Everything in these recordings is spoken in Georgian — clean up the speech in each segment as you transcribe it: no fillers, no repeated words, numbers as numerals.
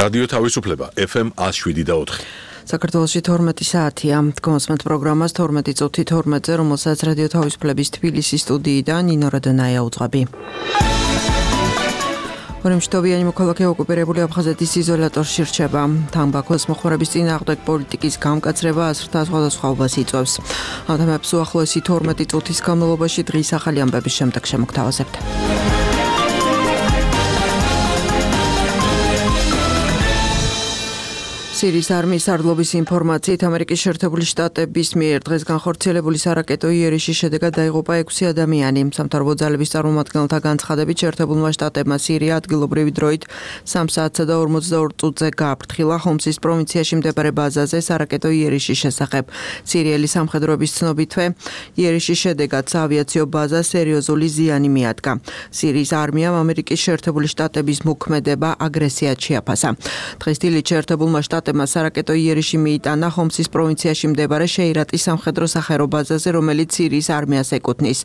რადიო თავისუფლება FM 107.4. საქართველოში 12 საათია. გონსმენთ პროგრამას 12 წუთი 12-ზე, რომელსაც რადიო თავისუფლების თბილისის სტუდიიდან ნინო რადონაია უძღვები. ორიმშტობიანი მოქალაქე ოკუპირებული აფხაზეთის იზოლატორში რჩება. თამბაქოს მოხმარების წინააღმდეგ პოლიტიკის გამკაცრება აზრთა სხვადასხვაობას იწვევს. ამ თემებს უახლოესი 12 წუთის განმავლობაში დღის ახალი ამბების შემდეგ შემოგთავაზებთ. სირიის არმიის სარდლობის ინფორმაციით ამერიკის შეერთებული შტატების მიერ დღეს განხორციელებული სარაკეტო იერიში შედეგად დაიღუპა 6 ადამიანი. სამთავრობო ძალების წარმომადგენელთა განცხადებით შეერთებულმა შტატებმა სირია ადგილობრივი დროით 3 საათსა და 42 წუთზე გააფრთხილა ჰომსის პროვინციაში მდებარე ბაზაზე სარაკეტო იერიშის შესახებ. სირიელი სამხედროების ცნობითვე იერიშის შედეგად საავიაციო ბაზას სერიოზული ზიანი მიადგა. სირიის არმიამ ამერიკის შეერთებული შტატების მოქმედება აგრესიად შეაფასა. დღეს დილით შეერთებულმა შტატებმა სარაკეტო იერიში მიიტანა ჰომსის პროვინციაში მდებარე შეირატის სამხედრო სახაერო ბაზაზე, რომელიც სირიის არმიას ეკუთვნის.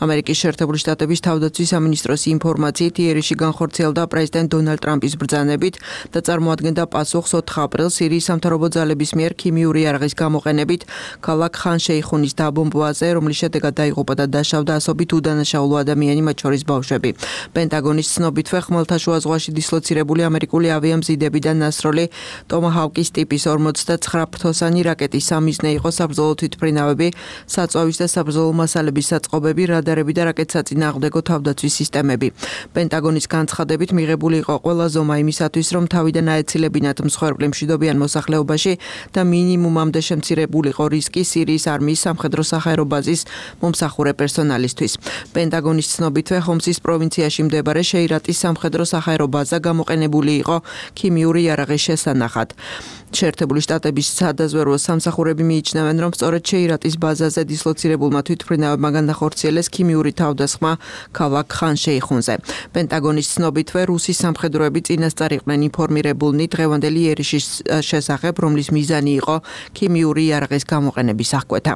ამერიკის შეერთებული შტატების თავდაცვის სამინისტროს ინფორმაციით იერიში განხორციელდა პრეზიდენტ დონალდ ტრამპის ბრძანებით და წარმოადგენდა პასუხს 4 აპრილს სირიის სამთავრობო ძალების მიერ ქიმიური იარაღის გამოყენებით ქალაქ ხან-შეიხუნის დაბომბვაზე, რომლის შედეგად დაიღუპა და დაშავდა ასობით უდანაშაულო ადამიანი, მათ შორის ბავშვები. პენტაგონის ცნობითვე ხმელთაშუა ზღვაში დისლოცირებული ამერიკული ავიამზიდებიდან ნასროლი ტომაჰავკის ტიპის 49 ფრთოსანი რაკეტის სამიზნე იყო საბრძოლო თვითმფრინავები, საწვავის და საბრძოლო მასალების საწყობები, რადარები და რაკეტსაწინააღმდეგო თავდაცვის სისტემები. პენტაგონის განცხადებით მიღებული იყო ყველა ზომა იმისათვის, რომ თავიდან აეცილებინათ მსხვერპლი მშვიდობიან მოსახლეობაში და მინიმუმამდე შემცირებულიყო რისკი სირიის არმიის სამხედრო სახაერო ბაზის მომსახურე პერსონალისთვის. პენტაგონის ცნობითვე ჰომსის პროვინციაში მდებარე შეირატის სამხედრო სახაერო ბაზა გამოყენებული იყო ქიმიური იარაღის შესანახად. შეერთებული შტატების სადაზვერვო სამსახურები მიიჩნევენ, რომ სწორედ შეირატის ბაზაზე დისლოცირებულმა თვითმფრინავებმა განახორციელეს ქიმიური თავდასხმა ქალაქ ხან-შეიხუნზე. პენტაგონის ცნობითვე რუსის სამხედროები წინასწარ იყვნენ ინფორმირებულნი დღევანდელი იერიშის შესახებ, რომლის მიზანი იყო ქიმიური იარაღის გამოყენების აღკვეთა.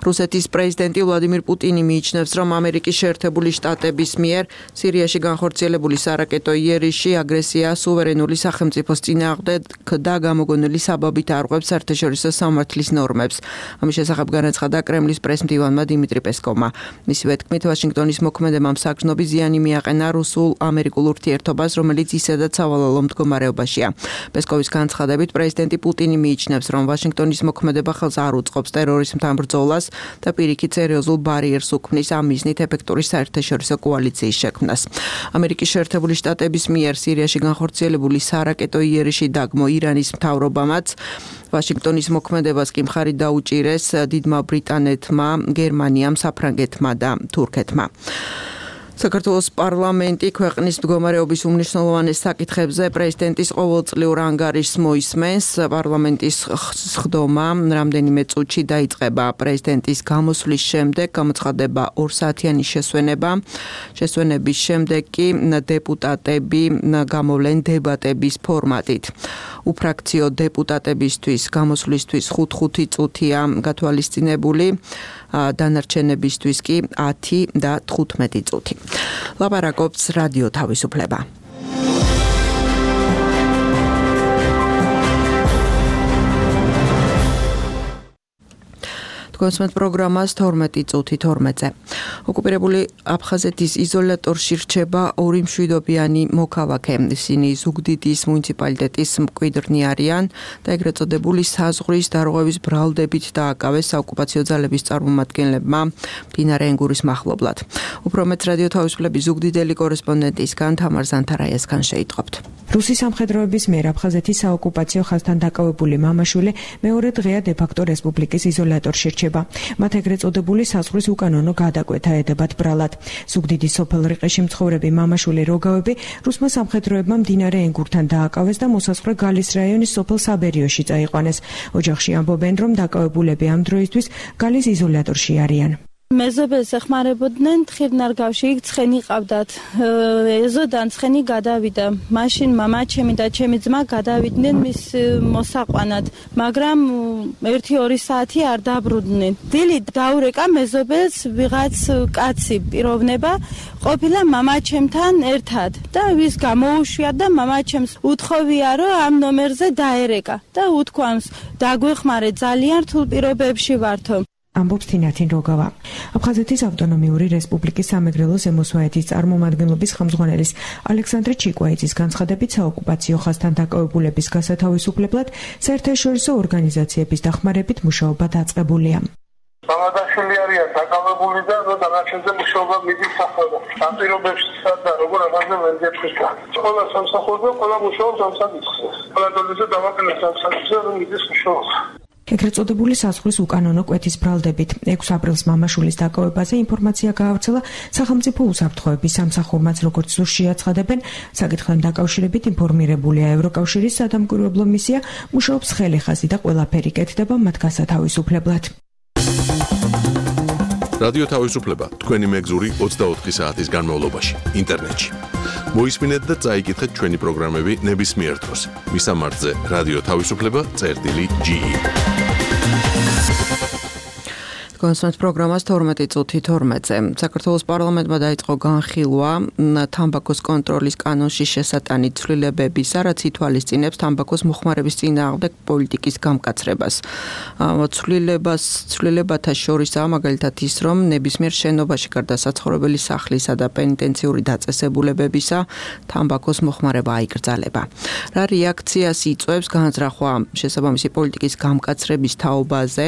რუსეთის პრეზიდენტი ვლადიმირ პუტინი მიიჩნევს, რომ ამერიკის შეერთებული შტატების მიერ სირიაში განხორციელებული სარაკეტო იერიში აგრესია სუვერენული სახელმწიფოს წინააღმდეგ და გამოგონილი საბაბით არღვევს საერთაშორისო სამართლის ნორმებს. ამის შესახებ განაცხადა კრემლის პრესმდივანმა დიმიტრი პესკოვმა. მისივე თქმით, ვაშინგტონის მოქმედებამ საგრძნობი ზიანი მიაყენა რუსულ-ამერიკულ ურთიერთობას, რომელიც ისედაც სავალალო მდგომარეობაშია. პესკოვის განცხადებით, პრეზიდენტი პუტინი მიიჩნევს, რომ ვაშინგტონის მოქმედება ხელს არ უწყობს ტერორიზმთან ბრძოლას და პირიქით სერიოზულ ბარიერს უქმნის ამ მიზნით ეფექტური საერთაშორისო კოალიციის შექმნას. ამერიკის შეერთებული შტატების მიერ სირიაში განხორციელებული სარაკეტო იერიში დაგმო ირანის მთავრობამაც ვაშინგტონის მოქმედებას კი მხარი დაუჭირეს დიდმა ბრიტანეთმა, გერმანიამ, საფრანგეთმა და თურქეთმა. საქართველოს პარლამენტი ქვეყნის მდგომარეობის უმნიშვნელოვანეს საკითხებზე პრეზიდენტის ყოველწლიურ ანგარიშს მოისმენს. პარლამენტის სხდომა რამდენიმე წუთში დაიწყება. პრეზიდენტის გამოსვლის შემდეგ გამოცხადდება 2 საათიანი შესვენება. შესვენების შემდეგ კი დეპუტატები გამოვლენ დებატების ფორმატით. უფრაქციო დეპუტატებისთვის გამოსვლისთვის 5 წუთია გათვალისწინებული, დანარჩენებისთვის კი 10 და 15 წუთი. ლაპარაკობს რადიო თავისუფლება. გონსმენთ პროგრამას 12 წუთი 12-ზე. ოკუპირებული აფხაზეთის იზოლატორში რჩება 2 მშვიდობიანი მოქალაქე. ისინი ზუგდიდის მუნიციპალიტეტის მკვიდრნი არიან და ეგრეთ წოდებული საზღვრის დარღვევის ბრალდებით დააკავეს საოკუპაციო ძალების წარმომადგენლებმა მდინარე ენგურის მახლობლად. უფრო მეტ რადიო თავისუფლების ზუგდიდელი კორესპონდენტისგან თამარ ზანთარაიასგან შეიტყობთ. რუსის სამხედროების მიერ აფხაზეთის საოკუპაციო ხაზთან დაკავებული მამაშვილი მეორე დღეა დე-ფაქტო რესპუბლიკის იზოლატორში რჩება. მათ ეგრეთ წოდებული საზღვრის უკანონო გადაკვეთა ედებათ ბრალად. ზუგდიდის სოფელ რიყეში მცხოვრები მამაშვილი როგავები რუსმა სამხედროებმა მდინარე ენგურთან დააკავეს და მოსაზღვრე გალის რაიონის სოფელ საბერიოში წაიყვანეს. ოჯახში ამბობენ, რომ დაკავებულები ამ დროისთვის გალის იზოლატორში არიან. მეზობელს ეხმარებოდნენ თხირნარგავში, იქ ცხენი ყავდათ. ეზოდან ცხენი გადავიდა. მაშინ მამაჩემი და ჩემი ძმა გადავიდნენ მის მოსაყვანად, მაგრამ 1-2 საათი არ დაბრუნდნენ. დილით დაურეკა მეზობელს ვიღაც კაცი პიროვნება, ყოფილა მამაჩემთან ერთად და ვის გამოუშვია და მამაჩემს უთხოვია, რომ ამ ნომერზე დაერეკა და უთქვამს, დაგვეხმარე, ძალიან რთულ პირობებში ვართო. ამბობს თინათინ როგავა. აფხაზეთის ავტონომიური რესპუბლიკის სამეგრელო ზემოსვაეთის წარმომადგენლობის ხელმძღვანელის ალექსანდრე ჩიკვაიძის განცხადებით საოკუპაციო ხაზთან დაკავებულების გასათავისუფლებლად საერთაშორისო ორგანიზაციების დახმარებით მუშაობა დაწყებულია. მამადაშვილი არიან დაკავებული და დანარჩენზე მუშაობა მიდის სახელმწიფო. ამ პირობებში და როგორ ამაზე ვერგეთქვა. ყველა სამსახურზე ყველა მუშაობს ამ საკითხზე. ყველა დონეზე დავაკელეთ ამ საკითხზე რომ მიდის მუშაობა. ეგრეთ წოდებული საზღვრის უკანონო კვეთის ბრალდებით 6 აპრილს მამაშვილის დაკავებაზე ინფორმაცია გაავრცელა სახელმწიფო უსაფრთხოების სამსახურმაც, როგორც ზუსტი აცხადებენ, საკითხთან დაკავშირებით ინფორმირებულია ევროკავშირის სადამკვირვებლო მისია, მუშაობს ხელი ხაზი და ყველაფერი კეთდება მათ გასათავისუფლებლად. რადიო თავისუფლება თქვენი მეგზური 24 საათის განმავლობაში ინტერნეტში. მოისმინეთ და წაიკითხეთ ჩვენი პროგრამები ნებისმიერ დროს. მისამართზე რადიო თავისუფლება.ge კონსულტანტ პროგრამას 12:12-ზე საქართველოს პარლამენტმა დაიწყო განხილვა თამბაქოს კონტროლის კანონში შესატანით ცვლილებებისა, რაც ითვალისწინებს თამბაქოს მოხმარების წინააღმდეგ პოლიტიკის გამკაცრებას. ცვლილებათა შორისაა მაგალითად ის, რომ ნებისმიერ შენობაში გარდა საცხოვრებელი სახლისა და პენიტენციური დაწესებულებებისა თამბაქოს მოხმარება აიკრძალება. რა რეაქციას იწვევს განზრახვა შესაბამისი პოლიტიკის გამკაცრების თაობაზე?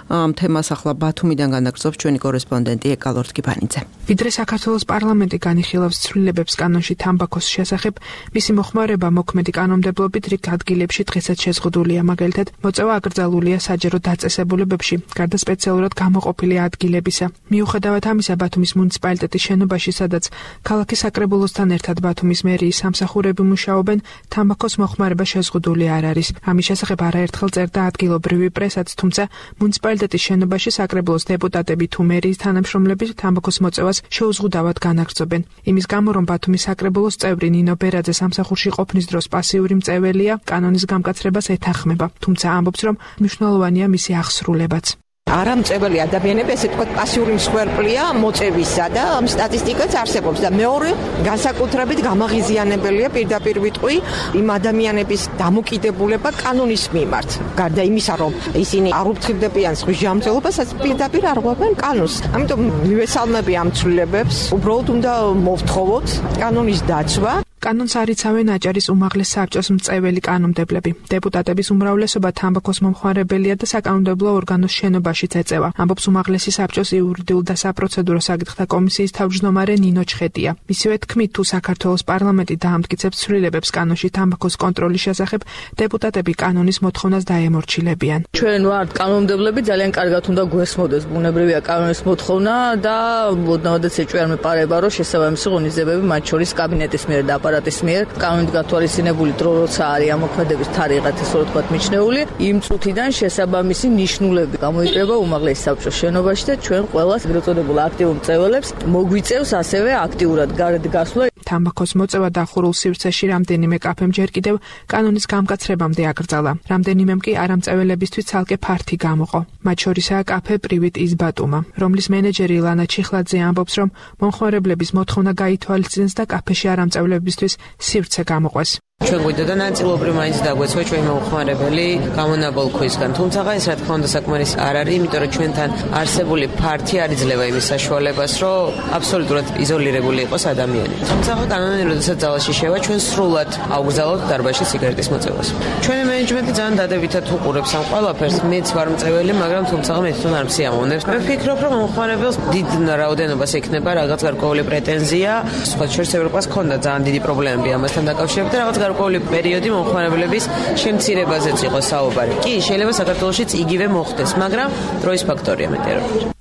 ამ თემას ახლა ბათუმიდან განაგრძობს ჩვენი კორესპონდენტი ეკალორ ტკიფანიძე. ვიდრე საქართველოს პარლამენტი განიხილავს ცვლილებებს კანონში თამბაქოს შესახებ, მისი მოხმარება მოქმედი კანონმდებლობით რიგ ადგილებში დღესაც შეზღუდულია. მაგალითად, მოწევა აკრძალულია საჯარო დაწესებულებებში, გარდა სპეციალურად გამოყოფილი ადგილებისა. მიუხედავად ამისა, ბათუმის მუნიციპალიტეტის შენობაში, სადაც ქალაქის საკრებულოსთან ერთად ბათუმის მერიის სამსახურები მუშაობენ, თამბაქოს მოხმარება შეზღუდული არ არის. ამის შესახებ არაერთხელ წერდა ადგილობრივი პრესაც, თუმცა მუნიციპალიტეტის შენობაში საკრებულოს დეპუტატები თუ მერიის თანამშრომლები თამბაქოს მოწევას შეუზღუდავად განაგრძობენ. იმის გამო, რომ ბათუმის საკრებულოს წევრი ნინო ბერაძე სამსახურში ყოფნის დროს პასიური მწეველია, კანონის გამკაცრებას ეთანხმება, თუმცა ამბობს, რომ მნიშვნელოვანია მისი აღსრულებაც. არამწეველი ადამიანები, ესე ვთქვათ, პასიური მსხვერპლია მოწევისა და ამ სტატისტიკაც არსებობს და მეორე განსაკუთრებით გამაღიზიანებელია პირდაპირ ვიტყვი იმ ადამიანების დამოკიდებულება კანონის მიმართ. გარდა იმისა, რომ ისინი არ უფრთხილდებიან ზღვის ჯანმრთელობასაც, პირდაპირ არ ღვევენ კანონს. ამიტომ მივესალმები ამ ცვლილებებს, უბრალოდ უნდა მოვთხოვოთ კანონის დაცვა. კანონს არიცავენ აჭარის უმაღლეს საბჭოს მწეველი კანონმდებლები. დეპუტატების უმრავლესობა თამბაქოს მომხმარებელია და საკანონმდებლო ორგანოს შენობაშიც ეწევა. ამბობს უმაღლესი საბჭოს იურიდიულ და საპროცედურო საკითხთა კომისიის თავმჯდომარე ნინო ჩხეტია. მისივე თქმით, თუ საქართველოს პარლამენტი დაამტკიცებს ცვლილებებს კანონში თამბაქოს კონტროლის შესახებ, დეპუტატები კანონის მოთხოვნას დაემორჩილებიან. ჩვენ ვართ კანონმდებლები, ძალიან კარგად უნდა გვესმოდეს ბუნებრივია კანონის მოთხოვნა და ოდნავადაც ეჭვი არ მეპარება, რომ შესაბამისი ღონისძიებები მათ შორის კაბინეტის მიერ და აპარატის მიერ კანონით გათვალისწინებული დრო როცა არის ამოქმედების თარიღად ესე რომ თქვა მიჩნეული, იმ წუთიდან შესაბამისი ნიშნულები გამოიკრება უმაღლესი საბჭოს შენობაში და ჩვენ ყველას ეგრეთ წოდებულ აქტიურ მწეველებს მოგვიწევს ასევე აქტიურად გარეთ გასვლა. თამბაქოს მოწევა დახურულ სივრცეში რამდენიმე კაფემ ჯერ კიდევ კანონის გამკაცრებამდე აკრძალა. რამდენიმემ კი არამწეველებისთვის ცალკე ფართი გამოყო. მათ შორისაა კაფე პრივიტ ის ბატუმა, რომლის მენეჯერი ლანა ჩიხლაძე ამბობს, რომ მომხმარებლების მოთხოვნა გაითვალისწინეს და კაფეში არამწეველებისთვის სივრცე გამოყვეს. ჩვენ გვინდა და ნაწილობრივ მაინც დაგვეცვა ჩვენი მომხმარებელი გამონაბოლ ქვისგან. თუმცა ეს რა თქმა უნდა საკმარისი არ არის, იმიტომ რომ ჩვენთან არსებული ფართი არ იძლევა იმის საშუალებას, რომ აბსოლუტურად იზოლირებული იყოს ადამიანი. თუმცა კანონი როდესაც ძალაში შევა, ჩვენ სრულად აუგზავნოთ დარბაზში სიგარეტის მოწევას. ჩვენი მენეჯმენტი ძალიან დადებითად უყურებს ამ ყველაფერს. მეც ვარ მწეველი, მაგრამ თუმცა მე თვითონ არ მსიამოვნებს. მე ვფიქრობ, რომ მომხმარებელს დიდ რაოდენობას ექნება რაღაც გარკვეული პრეტენზია. სხვა შორის ევროპას ქონდა ძალიან დიდი პრობლემები ამასთან დაკავშირებით და რაღაც გარკვეული პერიოდი მომხმარებლების შემცირებაზეც იყო საუბარი. კი, შეიძლება საქართველოშიც იგივე მოხდეს, მაგრამ დროის ფაქტორია მეტი.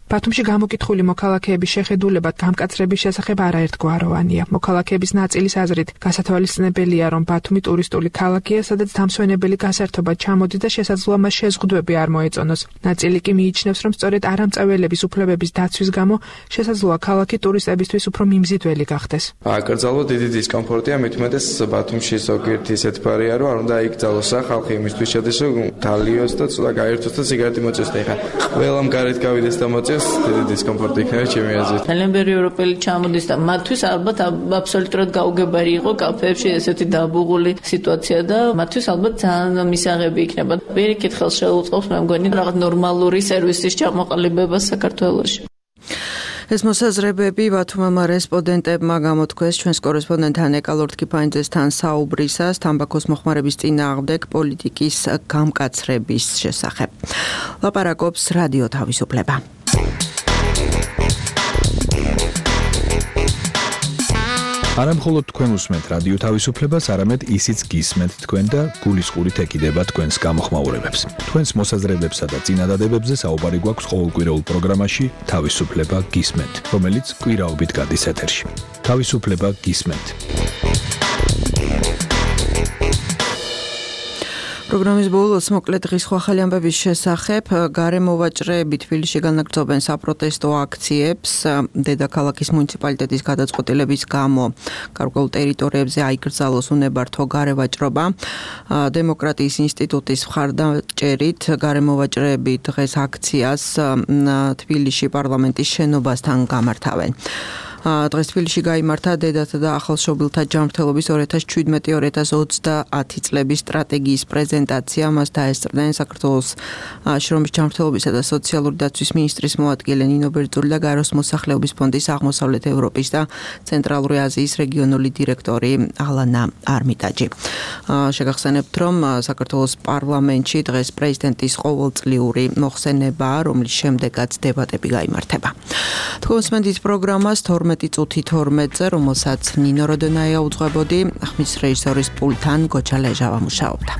ბათუმში გამოკითხული მოქალაქეების შეხედულებად გამკაცრების შესახებ არაერთგვაროვანია. მოქალაქეების ნაწილის აზრით, გასათვალისწინებელია, რომ ბათუმი ტურისტული ქალაქია, სადაც დამსვენებელი გასართობად ჩამოდის და შესაძლოა მას შეზღუდვები არ მოეწონოს. ნაწილი კი მიიჩნევს, რომ სწორედ არამწაველების უფლებების დაცვის გამო შესაძლოა ქალაქი ტურისტებისთვის უფრო მიმზიდველი გახდეს. აკრძალვა დიდი დისკომფორტია, მით უმეტეს ბათუმში ზოგიერთი ისეთ ფარია, რომ არ უნდა იკრძალოს ხალხი იმისთვის შედეს, რომ თალიოს და ცოტა გაერთოს და სიგარეტი მოწეს და ეხა ყველამ გარეთ გავიდეს და მოწეს, დიდი დისკომფორტი იქნება ჩემი აზრით. ძალიან ბევრი ევროპელი ჩამოდის და მათთვის ალბათ აბსოლუტურად გაუგებარი იყო კაფეებში ესეთი დაბუღული სიტუაცია და მათთვის ალბათ ძალიან მისაღები იქნება. ვერი კითხავს შეუწყობს მე მგონი რაღაც ნორმალური სერვისის ჩამოყალიბება საქართველოში. ეს მოსაზრებები ბათუმელმა რესპონდენტებმა გამოთქვეს ჩვენს კორესპონდენტ ანეკა ლორთქიფანიძესთან საუბრისას თამბაქოს მოხმარების წინააღმდეგ პოლიტიკის გამკაცრების შესახებ. ლაპარაკობს რადიო თავისუფლება. არა მხოლოდ თქვენ უსმენთ რადიო თავისუფლებას, არამედ ისიც გისმენთ თქვენ და გულისყურით ეკიდება თქვენს გამოხმაურებებს. თქვენს მოსაზრებებსა და წინადადებებზე საუბარი გვაქვს ყოველკვირეულ პროგრამაში თავისუფლება გისმენთ, რომელიც კვირაობით გადის ეთერში. თავისუფლება გისმენთ. პროგრამის ბოლოს მოკლედ დღის ახალი ამბების შესახებ გარემოვაჭრეები თბილისში განაგრძობენ საპროტესტო აქციებს დედაქალაქის მუნიციპალიტეტის გადაწყვეტილების გამო გარკვეულ ტერიტორიებზე აიკრძალოს უნებართვო გარევაჭრობა. დემოკრატიის ინსტიტუტის მხარდამჭერით გარემოვაჭრეები დღეს აქციას თბილისში პარლამენტის შენობასთან გამართავენ. დღეს თბილისში გაიმართა დედათა და ახალშობილთა ჯანმრთელობის 2017-2020 წლების სტრატეგიის პრეზენტაცია. მას დაესწრნენ საქართველოს შრომის ჯანმრთელობისა და სოციალური დაცვის მინისტრის მოადგილე ნინო ბერძული და გაროს მოსახლეობის ფონდის აღმოსავლეთ ევროპის და ცენტრალური აზიის რეგიონული დირექტორი ალანა არმიტაჯი. შეგახსენებთ, რომ საქართველოს პარლამენტში დღეს პრეზიდენტის ყოველწლიური მოხსენებაა, რომლის შემდეგაც დებატები გაიმართება. თქვენს მენდის პროგრამას 12 წუთი 12-ზე, რომელსაც ნინო როდონაია უძღვებოდი, ხმის რეჟისორის პულტთან გოჩა ლეჟავა მუშაობდა.